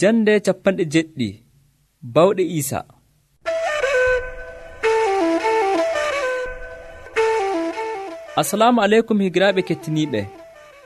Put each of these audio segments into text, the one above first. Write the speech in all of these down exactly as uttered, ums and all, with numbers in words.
Jande capanɗe jeɗɗi bawɗe Iisa. Assalamu aleykum higiraaɓe kettiniiɓe.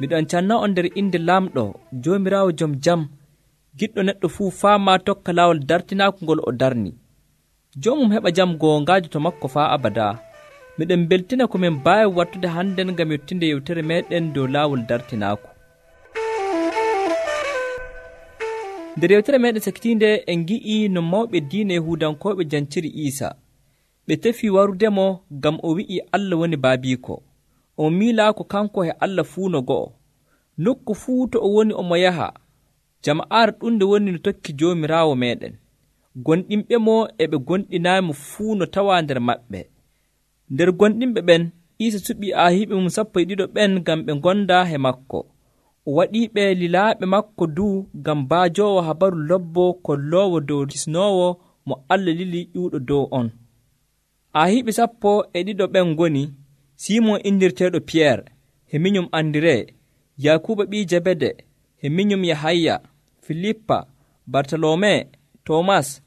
Miɗon canna on nder inde laamɗo Joomiraawo jom jam, giɗɗo neɗɗo fuu faama tokka laawol dartinaaku ngol o darni. Joomum heɓa jam goongaajo to makko faa abadaa. Miɗen beltina ko min mbaawi wattude hannden ngam yottinde yewtere meeɗen dow laawol dartinaaku. Nder yewtere meeɗen sakitiinde en ngi'ii no mawɓe diina Yahuudankooɓe janciri Iisa. Ɓe tefii warudemo ngam o wi'i Allah woni baabiiko. O miilaa ko kanko e Allah fuu no go'o. Nokku fuu to o woni omo yaha. Jama'aare ɗunde woni no tokki Joomiraawo meeɗen. Gonɗinɓe mo e ɓe gonɗinaayimo fuu no tawaa nder maɓɓe. Nder gonɗinɓe ɓen, Iisa suɓii aahiiɓe mum sappo e ɗiɗo ɓen ngam ɓe ngonda he makko. O waɗiiɓe lilaaɓe makko duu ngam baajoowo habaru lobbo kolloowo dow kisnoowo mo Allah lili ƴuuɗo dow on. Aahiiɓe sappo e ɗiɗo ɓen ngoni Simon indirteeɗo Piyeer, he minyum Andiree, Yakuuba ɓii Jabede, he minyum Yahaya, Filippa, Bartolome, Toomas,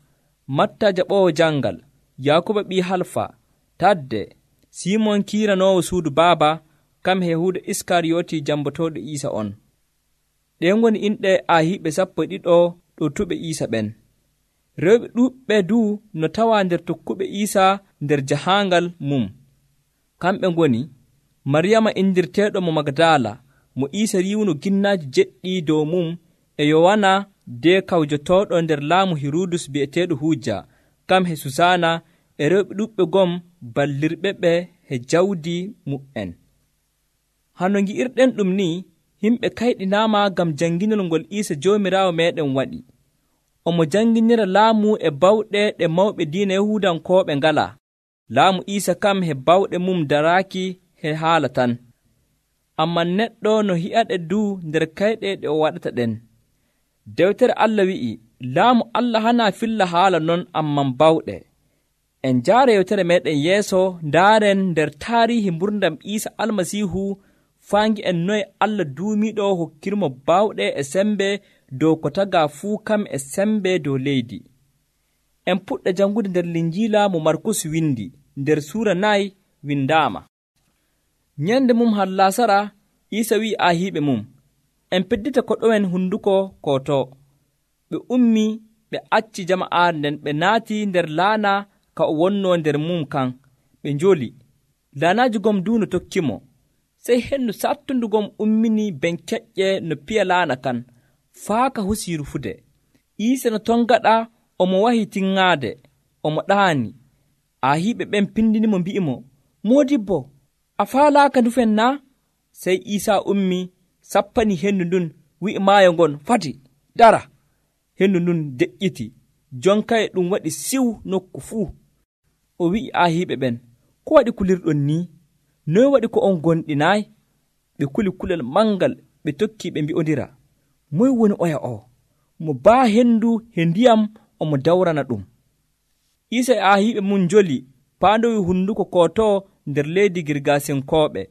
Matta jaɓoowo jangal, Yakuuba ɓii Halfa, Tadde, Simon kiiranoowo suudu baaba, kam he Yahuuda Iskariyooti jambotooɗo Iisa on. Ɗen ngoni inɗe aahiiɓe sappo e ɗiɗo ɗotuɓe Iisa ɓen. Rewɓe ɗuuɓɓe duu no tawaa nder tokkuɓe Iisa nder jahaangal mum. Kamɓe ngoni Maryama indirteeɗo mo Magdala, mo Iisa riiwno ginnaaji jeɗɗi dow mum, e Yowana de kawjotooɗo nder laamu Hirudus bi'eteeɗo Huuja, kam he Susaana, e rewɓe ɗuuɓɓe gom ballirɓe ɓe he jawdi mu'en. Hano ngi'irɗen ɗum ni, yimɓe kayɗinaama ngam janginol ngol Iisa Joomiraawo meeɗen waɗi. Omo janginira laamu e bawɗe ɗe mawɓe diina Yahuudankooɓe ngalaa. Laamu Iisa kam he bawɗe mum daraaki he haala tan. Ammaa neɗɗo no hi'aɗe duu nder kayɗe ɗe o waɗata ɗen. Dewtere Allah wi'i, laamu Allah hanaa filla haala non amman bawɗe. En njaara yewtere meeɗen yeeso ndaaren nder taariihi mburdam Iisa Almasiihu faangi en noye Allah duumiiɗo hokkirmo bawɗe e sembe dow ko tagaa fuu kam e sembe dow leydi. En puɗɗa jangude nder Linjiila mo Markus windi, nder suura nayi windaama. Nyande mum hallasara, Iisa wi'i aahiiɓe mum, en peddita koɗoen hunduko koto. Ɓe ummi ɓe acci jama'aare nden ɓe naati nder laana ka o wonnoo nder mum kan, ɓe njoli. Laanaaji gom duu no tokkimo. Sey hennu sattundu gom ummini ben keƴƴe no piya laana kan, faa ka husii rufude. Iisa no ton gaɗa omo wahi tinŋaade, omo ɗaani. Aahiiɓe ɓen pindinimo mbi'imo, Moodibbo, a faalaaka ndufen naa? Sey Iisaa ummi, sappani hendu ndun, wi'i maayo ngon, fati, dara. Hendu ndun deƴƴiti, jonkaye ɗum waɗi siw nokku fuu. O wi'i aahiiɓe ɓen, ko waɗi kulirɗon nii? Noy waɗi ko on gonɗinaayi? Ɓe kuli kulel mangal, ɓe tokkii ɓe mbi'ondira, moy woni oya o? Mo baa hendu he ndiyam omo dawrana ɗum. Iisa e aahiiɓe mum njoli paandowi hunduko koto nder leydi Girgasinkooɓe.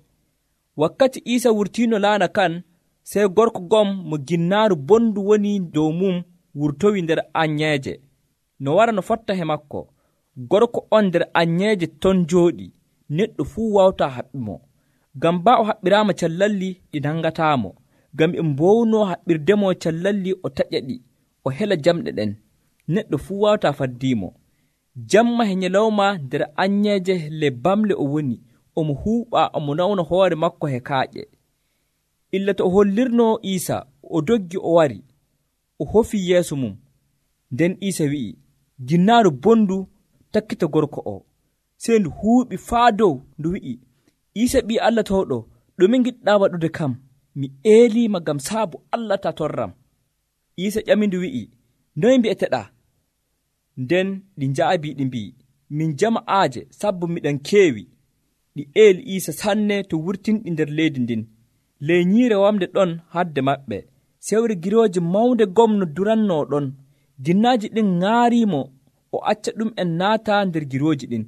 Wakkati Iisa wurtiino laana kan, sey gorko gom mo ginnaaru bondu woni dow mum wurtowi nder anyeeje. No wara no fotta he makko. Gorko on nder anyeeje ton jooɗi, neɗɗo fuu wawtaa haɓɓimo. Ngam baa o haɓɓiraama callalli ɗi nangataamo. Ngam e mbownoo haɓɓirdemo callalli o taƴa ɗi, o hela jamɗe ɗen. Neɗɗo fuu wawtaa faddiimo. Jamma he nyalawma nder anyeeje le bamle o woni, omo huuɓa omo nawna hoore makko he kaaƴe. Illa to o hollirnoo Iisa, o doggi o wari, o hofii yeeso mum. Nden Iisa wi'i, ginnaaru bondu takkita gorko o. Sey ndu huuɓi faa dow, ndu wi'i, Iisa ɓii Allah towɗo, ɗume ngiɗɗaa waɗude kam? Mi eeliima ngam saabu Allah ta torram. Iisa ƴami ndu wi'i, noye mbi'eteɗaa? Nden ɗi njaabii ɗi mbi'i, min jama'aaje sabbu miɗen keewi. Ɗi eeli Iisa sanne to wurtinɗi nder leydi ndin. Ley nyiire wamde ɗon hadde maɓɓe, sewre girooje mawnde gom no durannoo ɗon. Ginnaaji ɗin ŋaariimo, o acca ɗum en naata nder girooji ɗin.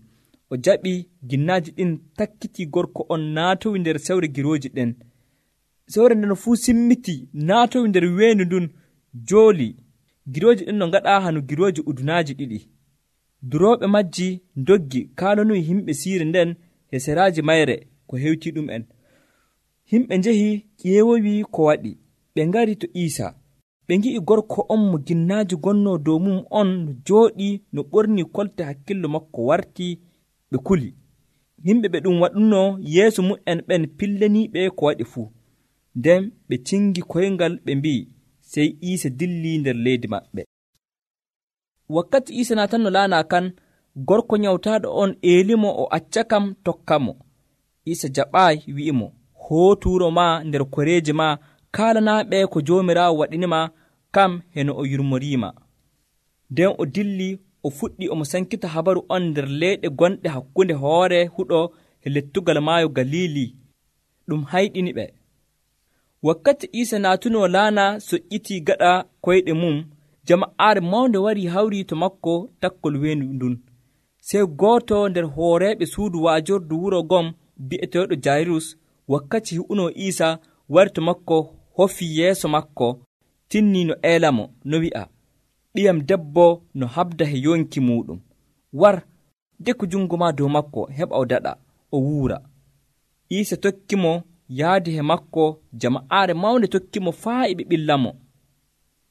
O jaɓi ginnaaji ɗin takkitii gorko on naatowi nder sewre girooji ɗen. Sewre nden fuu simmiti naatowi nder weendu ndun jooli. Girooji ɗin no ngaɗa hanu girooji udunaaji ɗiɗi. Durooɓe majji ndoggi kaalonuyi himɓe siire nden e seraaji mayre ko hewtii ɗum en. Himɓe njehi ƴeewowi ko waɗi, ɓe ngari to Iisa. Ɓe ngi'i gorko on mo ginnaaji gonnoo dow mum on no jooɗii no ɓornii kolte hakkillo makko wartii, ɓe kuli. Yimɓe ɓe ɗum waɗunno yeeso mum'en ɓen pillaniiɓe ko waɗi fuu. Nden ɓe cingi koyngal ɓe mbi'i, sey Iisa dilli nder leydi maɓɓe. Wakkati Iisa naatanno laana kan, gorko nyawtaaɗo on eelimo o acca kam tokkamo. Iisa jaɓaayi wi'imo, hootu wuro maa nder koreeji maa kaalanaaɓe ko Joomiraawo waɗinima kam heno o yurmoriima. Nden o dilli o fuɗɗi omo sankita habaru on nder leyɗe gonɗe hakkunde hoore huɗo e lettugal maayo Galili. Ɗum hayɗini ɓe. Wakkati Iisa naatuno laana soƴƴitii gaɗa koyɗe mum, jama'aare mawnde wari hawri to makko takkol weendu ndun. Sey gooto nder hooreeɓe suudu waajordu wuro gom bi'eteeɗo Jayrus, wakkati hi'unoo Iisa, wari to makko hofii yeeso makko, tinnii no eelamo, no wi'a, ɓiyam debbo no habda he yonki muuɗum. War, deku jungo maa dow makko heɓa o daɗa, o wuura. Iisa tokkimo yaadi he makko, jama'aare mawnde tokkimo faa e ɓe ɓillamo.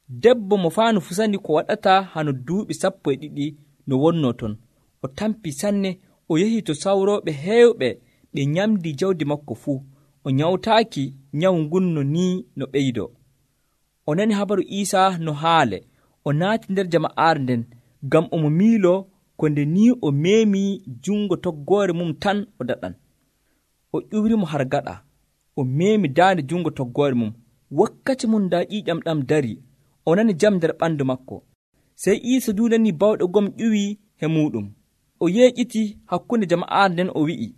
Debbo mo faanu fusani ko waɗata hano duuɓi sappo e ɗiɗi no wonnoo ton. O tampi sanne, o yehi to sawrooɓe heewɓe, ɓe nyamdi jawdi makko fuu. O nyawtaaki nyawu ngun no nii no ɓeydoo. O nani habaru Iisa no haale, o naati nder jama'aare nden, ngam omo miiloo ko nde nii o meemii jungo toggoore mum tan o daɗan. O ƴuwrimo har gaɗa, o meemi daande jungo toggoore mum. Wakkati mum daa ƴiiƴam ɗam dari, o nani jam nder ɓandu makko. Sey Iisa duu nani bawɗe gom ƴuwii he muuɗum. O yeeƴiti hakkunde jama'aare nden o wi'i,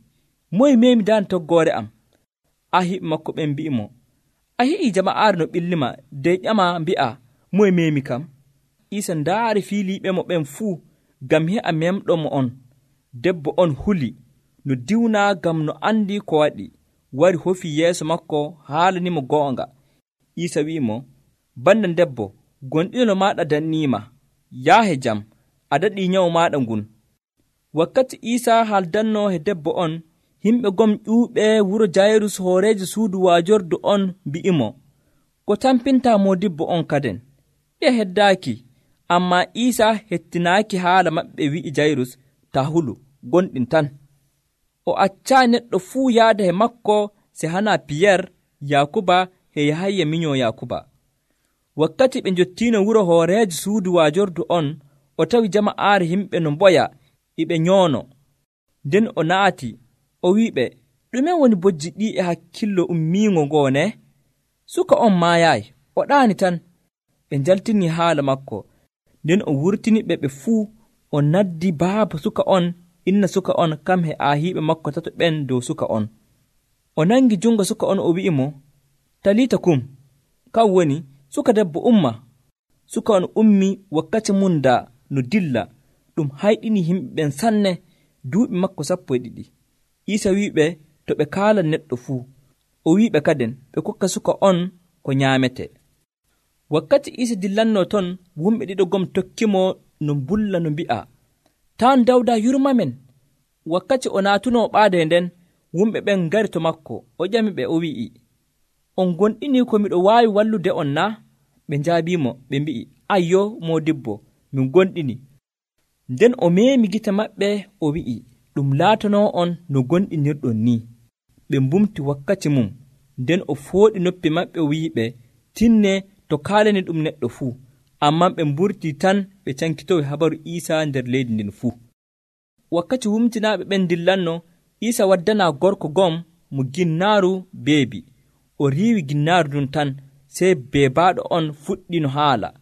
moye meemi daande toggoore am? Ahiiɓe makko ɓen mbi'imo, a heƴii jama'aare no ɓillima, dey ƴama mbi'a, moye meemi kam? Iisa ndaari fiiliiɓemo ɓen fuu, ngam he'a memɗomo on. Debbo on huli, no diwnaa ngam no andi ko waɗi, wari hofii yeeso makko haalanimo goonga. Iisa wi'imo, bandan debbo, gonɗinol maaɗa danniima, yaahe jam, a daɗii nyawu maaɗa ngun. Wakkati Iisa haaldannoo he debbo on, himɓe gom ƴuuɓe wuro Jayrus hooreejo suudu waajordu on mbi'imo, ko tampintaa moodibbo on kaden? Ɓe heddaaki, ammaa Iisa hettinaaki haala maɓɓe, wi'i Jayrus, taa hulu, gonɗin tan. O accaa neɗɗo fuu yaada he makko se hana Piyer, Yaakuba e Yahaya minyoo Yaakuba. Wakkati ɓe njottiino wuro hooreejo suudu waajordu on, o tawi jama'aare himɓe no mboya e ɓe nyoono. Nden o naati, o wi'iɓe, ɗume woni bojji ɗi e hakkillo ummiingo ngoone? Suka on maayaayi, o ɗaani tan. Ɓe njaltinii haala makko. Nden o wurtini ɓe ɓe fuu, o naddi baaba suka on, inna suka on, kam he aahiiɓe makko tato ɓen dow suka on. O nangi jungo suka on, o wi'imo, Talita kum, kan woni, suka debbo umma. Suka on ummi, wakkati mum daa no dilla. Ɗum hayɗini yimɓe ɓen sanne, duuɓi makko sappo e ɗiɗi. Iisa wi'iɓe to ɓe kaala neɗɗo fuu. O wi'iɓe kaden ɓe kokka suka on ko nyaamete. Wakkati Iisa dillannoo ton, wumɓe ɗiɗo gom tokkimo no mbulla no mbi'a, taan Dawda yurmamen. Wakkati o naatunoo ɓaade nden, wumɓe ɓen ngari to makko, o ƴami ɓe, o wi'i, on gonɗinii ko miɗo waawi wallude on na? Ɓe njaabiimo, ɓe mbi'i, ayyo, moodibbo, min gonɗini. Nden o meemi gite maɓɓe, o wi'i, ɗum laatanoo on no gonɗinirɗon ni. Ɓe mbumti wakkati mum. Nden o fooɗi noppi maɓɓe, o wi'iɓe, tinne to kaalani ɗum neɗɗo fuu. Ammaa ɓe mburtii tan ɓe cankitoyi habaru Iisa nder leydi ndin fuu. Wakkati wumtinaaɓe ɓen dillanno, Iisa waddanaa gorko gom mo ginnaaru beebi. O riiwi ginnaaru ɗum tan, sey beebaaɗo on fuɗɗi no haala.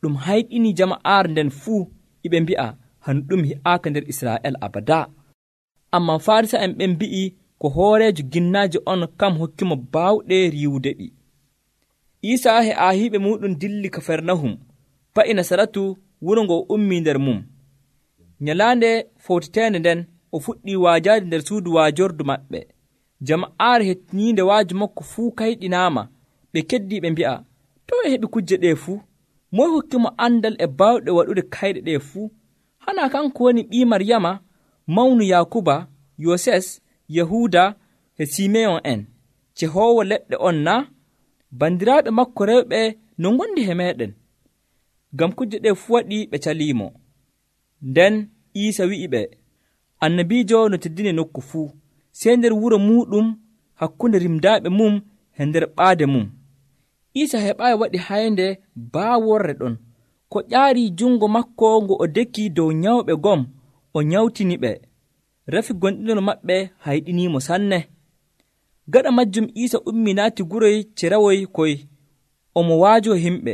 Ɗum hayɗini jama'aare nden fuu, iɓe mbi'a, hanu ɗum hi'aaka nder Israa'el abadaa. Ammaa Faarisa'en ɓen mbi'i ko hooreejo ginnaaji on kam hokkimo baawɗe riiwude ɗi. Iisa he aahiiɓe muɗum dilli Kafernahum, fa'i Nasaratu, wuro ngo ummii nder mum. Nyalaande fowtiteende nden, o fuɗɗii waajaade nder suudu waajordu maɓɓe. Jama'aare hettiniinde waaju makko fuu kayɗinaama. Ɓe keddii ɓe mbi'a, to e heɓi kujje ɗee fuu? moy hokkimo andal e bawɗe waɗude kayɗe ɗe fuu? Hana kanko woni ɓii Maryama, mawnu Yakuba, Yoses, Yahuda e Simeyon en, cehoowo leɗɗe on na? Bandiraaɓe makko rewɓe no ngondi he meeɗen. Ngam kuje ɗe fuu waɗi ɓe caliimo. Nden Iisa wi'iɓe, annabiijo no teddini nokku fuu, sey nder wuro muuɗum hakkunde rimdaaɓe mum e nder ɓaade mum. Iisa heɓaayi waɗi haynde baaworre ɗon, ko ƴaarii jungo makko ngo o dekki dow nyawɓe gom, o nyawtiniɓe. Rafi gonɗinol maɓɓe hayɗiniimo sanne. Gaɗa majjum Iisa ummi naati guroy cerawoy koy, omo waajo himɓe.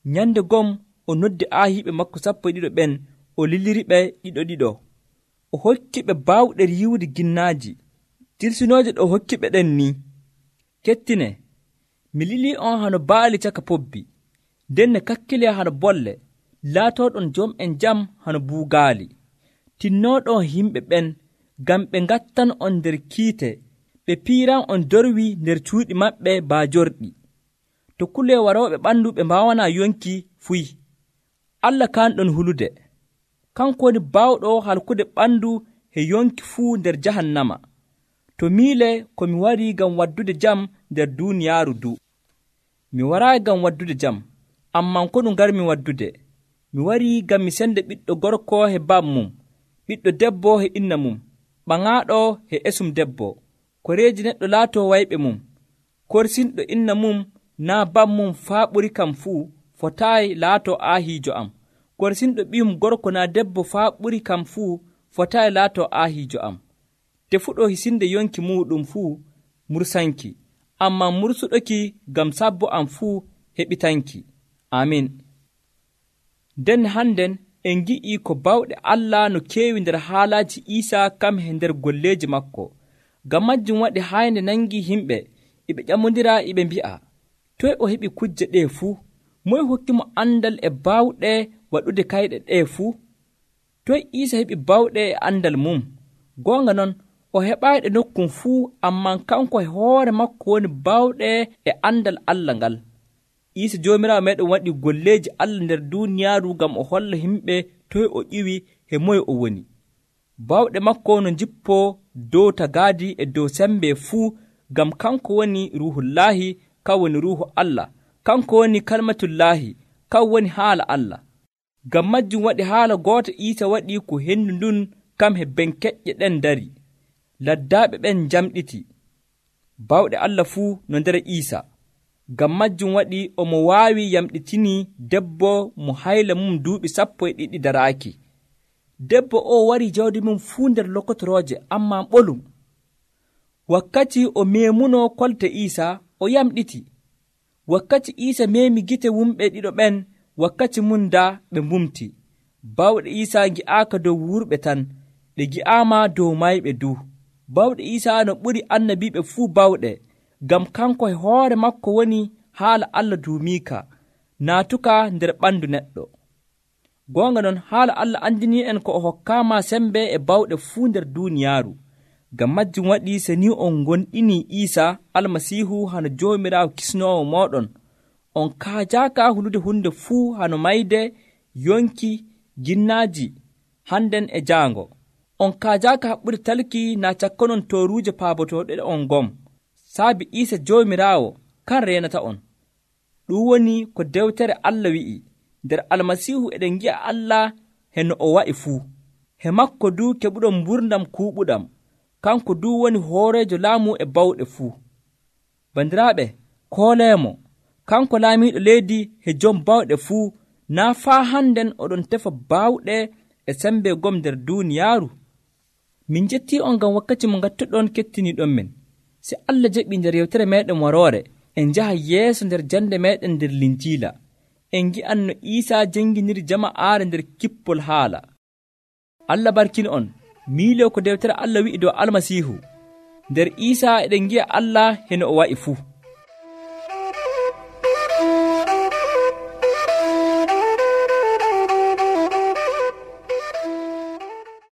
Nyande gom o noddi aahiiɓe makko sappo e ɗiɗo ɓen, o liliriɓe ɗiɗo ɗiɗo. O hokkiɓe baawɗe yiwde ginnaaji. Tirsinooje ɗo hokkiɓe ɗen ni: kettine, mi lilii on hano baali caka pobbi, nden ne kakkile hano bolle, laatooɗon jom'en jam hano buugaali. Tinnooɗon yimɓe ɓen, ngam ɓe ngattan on nder kiite, ɓe piiran on dorwi nder cuuɗi maɓɓe baajorɗi. To kule warooɓe ɓandu ɓe mbaawanaa yonki fuy. Allah kanɗon hulude, kanko woni baawɗo halkude ɓandu e yonki fuu nder jahannama. To miile ko mi warii ngam waddude jam nder duuniyaaru du. Mi waraayi ngam waddude jam, amman ko ɗum ngarmi waddude. Mi warii ngam mi sende ɓiɗɗo gorko he bammum, ɓiɗɗo debbo he inna mum, ɓaŋaaɗo he esum debbo, koreeji neɗɗo laatoo wayɓe mum, korsinɗo inna mum naa bammum faa ɓuri kam fuu, fotaayi laatoo aahiijo am. Korsinɗo ɓiyum gorko naa debbo faa ɓuri kam fuu, fotaayi laatoo aahiijo am. Tefuɗo hisinde yonki muuɗum fuu mursanki, ammaa mursuɗoki ngam sabbo am fuu heɓitanki. Amin. Nden hannden en ngi'ii ko bawɗe Allah no keewi nder haalaaji Iisaa kam e nder golleeji makko. Ngam majjum waɗi haynde nangii yimɓe e ɓe ƴamondira e ɓe mbi'a, toye o heɓi kujje ɗee fuu? Moye hokkimo andal e baawɗe waɗude kayɗe ɗee fuu? Toye Iisa heɓi baawɗe e andal mum? Goonga non, o heɓaayi ɗe nokkum fuu, ammaa kanko e hoore makko woni baawɗe e andal Allah ngal. Iisa Joomiraawo meeɗen waɗi golleeji Allah nder duuniyaaru ngam o holla yimɓe toye o ƴiwi e moye o woni. Baawɗe makko no jippoo dow tagaadi e dow sembe fuu, ngam kanko woni Ruuhullaahi, kan woni Ruuhu Allah, kanko woni Kalmatullaahi, kan woni haala Allah. Ngam majjum waɗi haala goota Iisa waɗi ko hendu ndun kam he benkeƴƴe ɗen dari. Laddaaɓe ɓen njamɗiti. Bawɗe Allah fuu no nder Iisa. Ngam majjum waɗi omo waawi yamɗitinii debbo mo hayla mum duuɓi sappo e ɗiɗi daraaki. Debbo o warii jawdi mum fuu nder lokotorooje, ammaa ɓolum. Wakkati o meemunoo kolte Iisa, o yamɗiti. Wakkati Iisa meemi gite wumɓe ɗiɗo ɓen, wakkati mum daa ɓe mbumti. Bawɗe Iisa ngi'aaka dow wurɓe tan, ɗe gi'aama dow mayɓe du. Bawɗe Iisa no ɓuri annabiiɓe fuu bawɗe, ngam kanko e hoore makko woni haala Allah duumiika, naatuka nder ɓandu neɗɗo. Goonga non, haala Allah andini en ko o hokkaama sembe e bawɗe fuu nder duuniyaaru. Ngam majjum waɗi so ni on gonɗinii Iisa Almasiihu hano Joomiraawo kisnoowo mooɗon, on kaajaaka hulude hunde fuu hano mayde, yonki, ginnaaji, hannden e jaango. On kaajaaka haɓɓude talki naa cakkanon tooruuje paabotooɗe on ngom. Saabi Iisa Joomiraawo kan reenata on. Ɗum woni ko dewtere Allah wi'i, nder Almasiihu eɗen ngi'a Allah he no o wa'i fuu. He makko du keɓuɗon mburdam kuuɓuɗam, kanko du woni hooreejo laamu e bawɗe fuu. Bandiraaɓe, kooleemo, kanko laamiiɗo leydi he jom bawɗe fuu, naa faa hannden oɗon tefa baawɗe e sembe gom nder duuniyaaru. Min jettii on ngam wakkati mo ngattuɗon kettiniiɗon men. Si Allah jaɓii nder yewtere meeɗen waroore, en njaha yeeso nder jannde meeɗen nder Linjiila. En ngi'an no Iisaa jannginiri jama'aare nder kippol haala. Allah barkini on. Miiloo ko dewtere Allah wi'i dow Almasiihu. Nder Iisaa eɗen ngi'a Allah heno o wa'i fuu.